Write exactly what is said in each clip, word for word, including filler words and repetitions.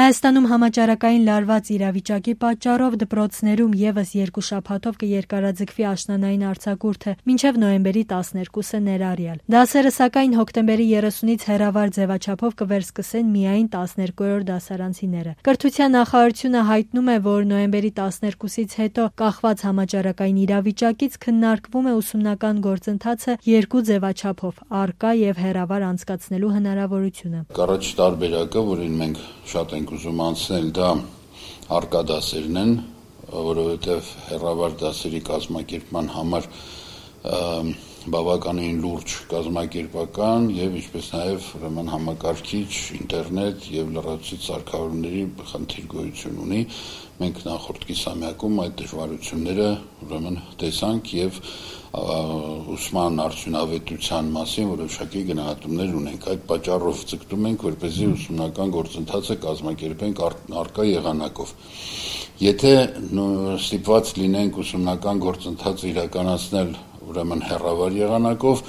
Հայաստանում համաճարակային լարված իրավիճակի պատճառով դպրոցներում ևս երկու շաբաթով կերկարաձգվի աշնանային արձակուրդը մինչև նոյեմբերի տասներկուսը ներառյալ։ Դասերը սակայն հոկտեմբերի երեսունից հեռավար ձևաչափով կվերսկսեն միայն տասներկուերորդ դասարանցիները։ Կրթության նախարարությունը հայտնում է, որ նոյեմբերի տասներկուսից հետո կախված համաճարակային իրավիճակից քննարկվում է ուսումնական գործընթացը երկու ձևաչափով՝ առկա եւ հեռավար անցկացնելու հնարավորությունը։ Առաջ տարբերակը, որին մենք շատ ենք ուզում անցնել, դա առկա դասերն են, որովհետև հեռավար դասերի կազմակերպման համար բավականին լուրջ կազմակերպական եւ ինչպես նաեւ ուրեմն համակարգիչ, ինտերնետ եւ լրացուցիչ սարքավորումների խնդիր գոյություն ունի։ Մենք նախորդ կիսամյակում այդ դժվարությունները ուրեմն տեսանք եւ ուսման արդյունավետության մասին որոշակի գնահատումներ ունենք։ Այդ պատճառով ձգտում ենք, որպեսզի ուսումնական գործընթացը կազմակերպենք առկա եղանակով։ Եթե ստիպված լինենք ուսումնական գործընթացը իրականացնել ուրեմն հեռավար եղանակով,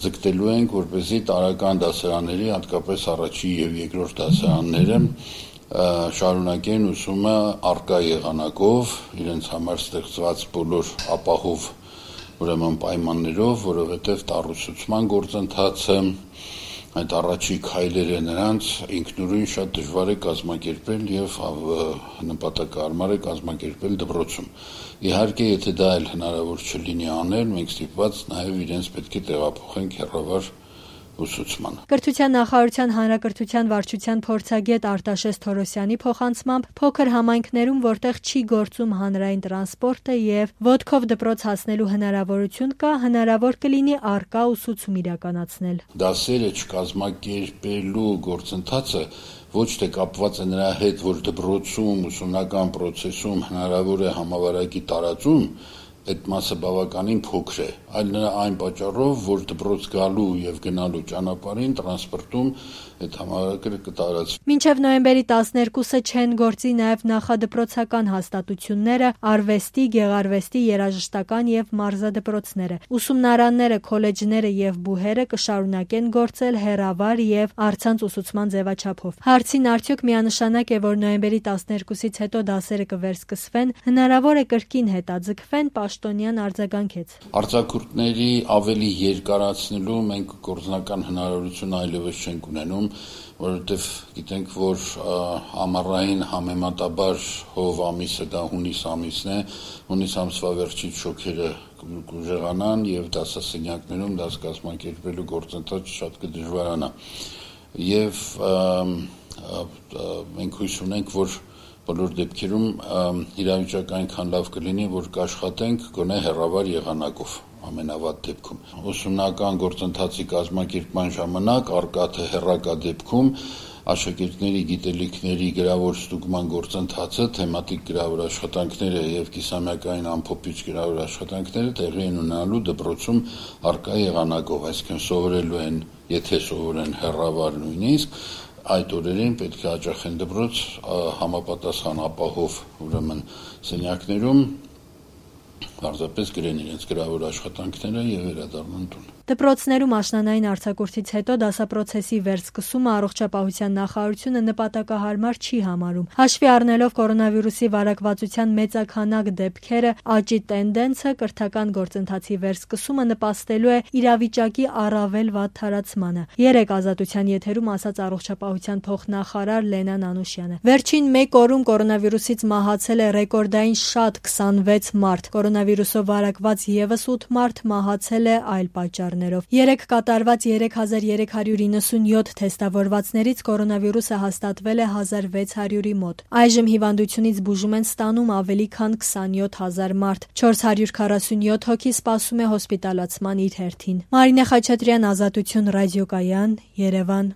ձգտելու ենք, որպեսզի տարրական դասարանների, հատկապես առաջին եւ երկրորդ դասարանները շարունակեն ուսումը առկա եղանակով, իրենց համար ստեղծված բոլոր ապահով ուրեմն պայմաններով, որովհետև տառուսուցման գործընթացը այդ առաջի քայլերը նրանց ինքնուրույն շատ դժվար է կազմակերպել եւ նպատակահարմար է կազմակերպել դպրոցում։ Իհարկե, եթե դա էլ հնարավոր չլինի անել, մենք ստիպված նաեւ իրենց պետք է տեղափոխենք հեռավար ուսուցման։ Կրթության նախարարության հանրակրթության վարչության փորձագետ Արտաշես Թորոսյանի փոխանցմամբ փոքր համայնքներում, որտեղ չի գործում հանրային տրանսպորտը եւ ոտքով դպրոց հասնելու հնարավորություն կա, հնարավոր կլինի առկա ուսուցում իրականացնել։ Դասերը չկազմակերպելու գործընթացը ոչ թե կապված է նրա հետ, որ դպրոցում ուսումնական process-ում հնարավոր է համավարակի տարածում, այդ մասը բավականին փոքր է, այլ նրա այն պատճառով, որ դպրոց գալու եւ գնալու ճանապարհին տրանսպորտում այդ համավարակը կտարածվի։ Մինչև նոյեմբերի տասներկուսը չեն գործի նաեւ նախադպրոցական հաստատությունները, արվեստի, գեղարվեստի, երաժշտական եւ մարզադպրոցները։ Ուսումնարանները, քոլեջները եւ բուհերը կշարունակեն գործել հեռավար եւ առցանց ուսուցման ձևաչափով։ Հարցին արդյոք միանշանակ է, որ նոյեմբերի տասներկուսից հետո դասերը կվերսկսվեն, հնարավոր է կրկին հետաձգվեն, Պաշտոնյան արձագանքեց։ Արձակուրդների ավելի երկարացնելու մենք գործնական հնարավորություն այլևս չենք ունենում, որովհետև գիտենք, որ ամառային համեմատաբար հով ամիսը դա հունիս ամիսն է, հունիս ամսվա վերջից շոքերը կուժեղանան եւ դասասենյակներում դաս կազմակերպելու գործընթացը շատ կդժվարանա։ Եվ մենք հույս ունենք, որ բոլոր դեպքերում իրավիճակը այնքան լավ կլինի, որ կաշխատենք գոնե հեռավար եղանակով ամենավատ դեպքում։ Ուսումնական գործընթացի կազմակերպման ժամանակ առկա թե հեռակա դեպքում աշակերտների գիտելիքների գրավոր ստուգման գործընթացը, թեմատիկ գրավոր աշխատանքները եւ կիսամյակային ամփոփիչ գրավոր աշխատանքները տեղի են ունենալու դպրոցում առկա եղանակով, այսինքն սովորելու են, եթե սովորեն հեռավար նույնիսկ այդ օրերին պետք է հաճախեն դպրոց համապատասխան ապահով ուրեմն սենյակներում պարզապես գրեն իրենց գրավոր աշխատանքները եւ վերադառնան տուն։ Դպրոցներում աշնանային արձակուրդից հետո դասապրոցեսի վերսկսումը առողջապահության նախարարությունը նպատակահարմար չի համարում։ Հաշվի առնելով կորոնավիրուսի վարակվածության մեծաքանակ դեպքերը, աճի տենդենսը կրթական գործընթացի վերսկսումը նպաստելու է իրավիճակի առավել վատ թարացմանը։ Երեկ Ազատության եթերում ասաց առողջապահության փոխնախարար Լենան Անուշյանը։ Վերջին մեկ օրում կորոնավիրուսից մահացել է ռեկորդային շատ քսանվեց մարդ։ Կորոնավիրուսով վարակված եւս ութ մարդ մահացել է այլ պատճառ։ Երեկ կատարված երեք հազար երեք հարյուր իննսունյոթ թեստավորվածներից կորոնավիրուսը հաստատվել է հազար վեց հարյուրի մոտ։ Այժմ հիվանդությունից բուժում են ստանում ավելի քան քսանյոթ հազար մարդ։ չորս հարյուր քառասունյոթ հոգի սպասում է հոսպիտալացման իր հերթին։ Մարինե Խաչատրյան, Ազատություն ռադիոկայան, Երևան։